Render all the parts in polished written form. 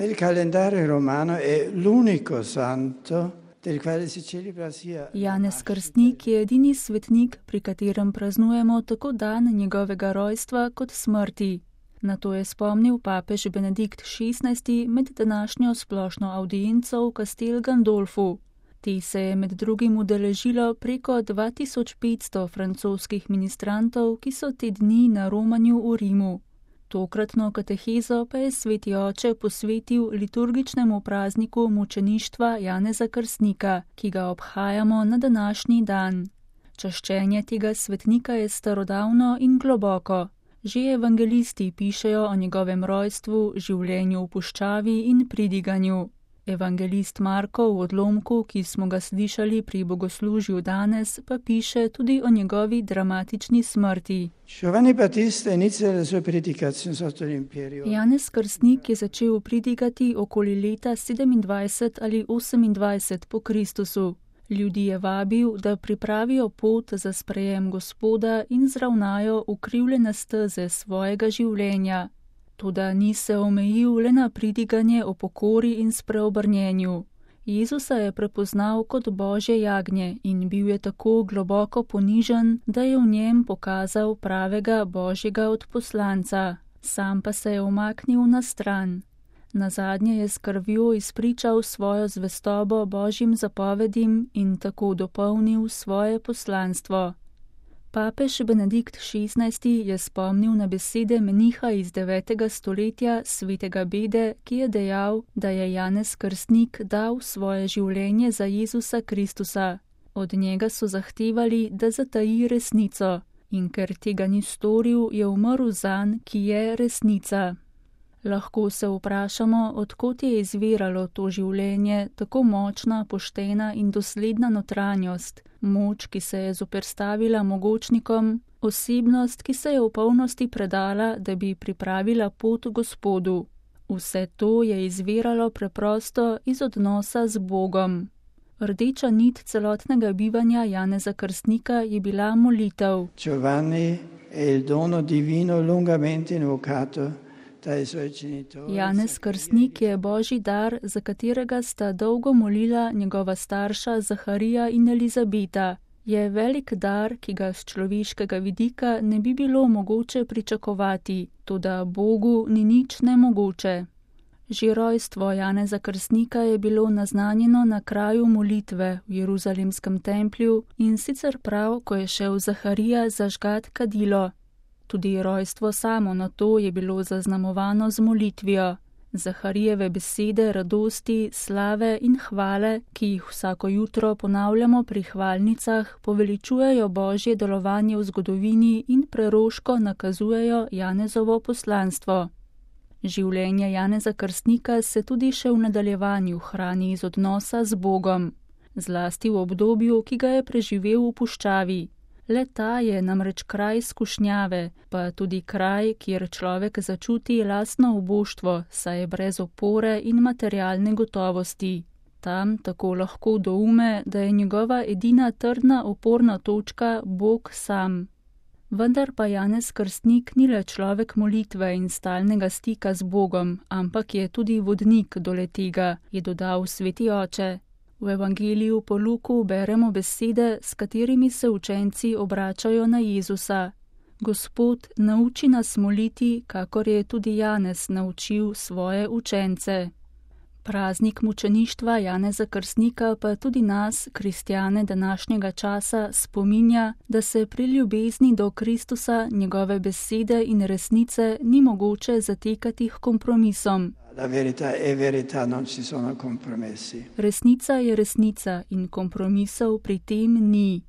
Nel calendario romano è l'unico santo del quale si celebra sia Janez Krstnik je edini svetnik, pri katerem praznujemo tako dan njegovega rojstva kot smrti. Na to je spomnil papež Benedikt XVI med današnjo splošno audienco v Castel Gandolfu. Te se je med drugim udeležilo preko 2500 francoskih ministrantov, ki so te dni na romanju v Rimu. Tokratno katehezo pa je sveti oče posvetil liturgičnemu prazniku mučeništva Janeza Krstnika, ki ga obhajamo na današnji dan. Čaščenje tega svetnika je starodavno in globoko. Že evangelisti pišejo o njegovem rojstvu, življenju v puščavi in pridiganju. Evangelist Marko v odlomku, ki smo ga slišali pri bogoslužju danes, pa piše tudi o njegovi dramatični smrti. Janez Krstnik je začel pridigati okoli leta 27 ali 28 po Kristusu. Ljudi je vabil, da pripravijo pot za sprejem Gospoda in zravnajo ukrivljene steze svojega življenja. Toda ni se omejil le na pridiganje o pokori in spreobrnjenju. Jezusa je prepoznal kot Božje jagnje in bil je tako globoko ponižen, da je v njem pokazal pravega Božjega odposlanca. Sam pa se je umaknil na stran. Nazadnje je s krvjo izpričal svojo zvestobo Božjim zapovedim in tako dopolnil svoje poslanstvo. Papež Benedikt XVI je spomnil na besede meniha iz 9. stoletja svetega Bede, ki je dejal, da je Janez Krstnik dal svoje življenje za Jezusa Kristusa. Od njega so zahtevali, da zataji resnico, in ker tega ni storil, je umrl zanj, ki je resnica. Lahko se vprašamo, odkot je izviralo to življenje, tako močna, poštena in dosledna notranjost, moč, ki se je zoperstavila mogočnikom, osebnost, ki se je v polnosti predala, da bi pripravila pot Gospodu. Vse to je izviralo preprosto iz odnosa z Bogom. Rdeča nit celotnega bivanja Janeza Krstnika je bila molitev. Giovanni è il dono divino lungamente invocato. Janez Krstnik je Božji dar, za katerega sta dolgo molila njegova starša Zaharija in Elizabeta. Je velik dar, ki ga z človeškega vidika ne bi bilo mogoče pričakovati, toda Bogu ni nič nemogoče. Že rojstvo Janeza Krstnika je bilo naznanjeno na kraju molitve v Jeruzalemskem templju in sicer prav, ko je šel Zaharija zažgat kadilo. Tudi rojstvo samo na to je bilo zaznamovano z molitvijo. Zaharijeve besede radosti, slave in hvale, ki jih vsako jutro ponavljamo pri hvalnicah, poveličujejo Božje delovanje v zgodovini in preroško nakazujejo Janezovo poslanstvo. Življenje Janeza Krstnika se tudi še v nadaljevanju hrani iz odnosa z Bogom, zlasti v obdobju, ki ga je preživel v puščavi. Le ta je namreč kraj skušnjave, pa tudi kraj, kjer človek začuti lastno uboštvo, saj je brez opore in materialne gotovosti. Tam tako lahko doume, da je njegova edina trdna oporna točka Bog sam. Vendar pa Janez Krstnik ni le človek molitve in stalnega stika z Bogom, ampak je tudi vodnik do le-tega, je dodal sveti oče. V evangeliju po Luku beremo besede, s katerimi se učenci obračajo na Jezusa. Gospod, nauči nas moliti, kakor je tudi Janez naučil svoje učence. Praznik mučeništva Janeza Krstnika pa tudi nas, kristjane današnjega časa, spominja, da se pri ljubezni do Kristusa, njegove besede in resnice ni mogoče zatekati k kompromisom. La verità è verità, non ci sono compromessi. Resnica je resnica in kompromisov pri tem ni.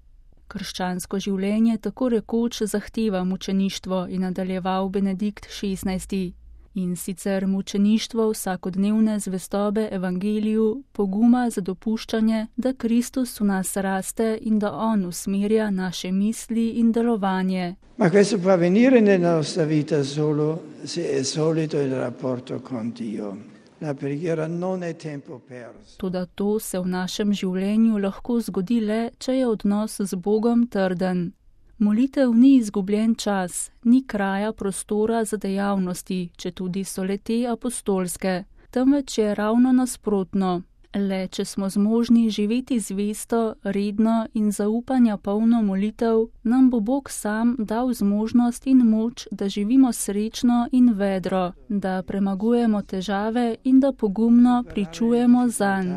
Krščansko življenje tako rekoč zahteva mučeništvo, je nadaljeval Benedikt XVI. In sicer mučeništvo vsakodnevne zvestobe evangeliju, poguma za dopuščanje, da Kristus v nas raste in da on usmerja naše misli in delovanje. Ma questo può avvenire nella nostra vita solo se è solido il rapporto con Dio. La preghiera non è tempo perso. Toda to se v našem življenju lahko zgodi le, če je odnos z Bogom trden. Molitev ni izgubljen čas, ni kraja prostora za dejavnosti, če tudi so le te apostolske. temveč je ravno nasprotno. Le če smo zmožni živeti zvesto, redno in zaupanja polno molitev, nam bo Bog sam dal zmožnost in moč, da živimo srečno in vedro, da premagujemo težave in da pogumno pričujemo zanj.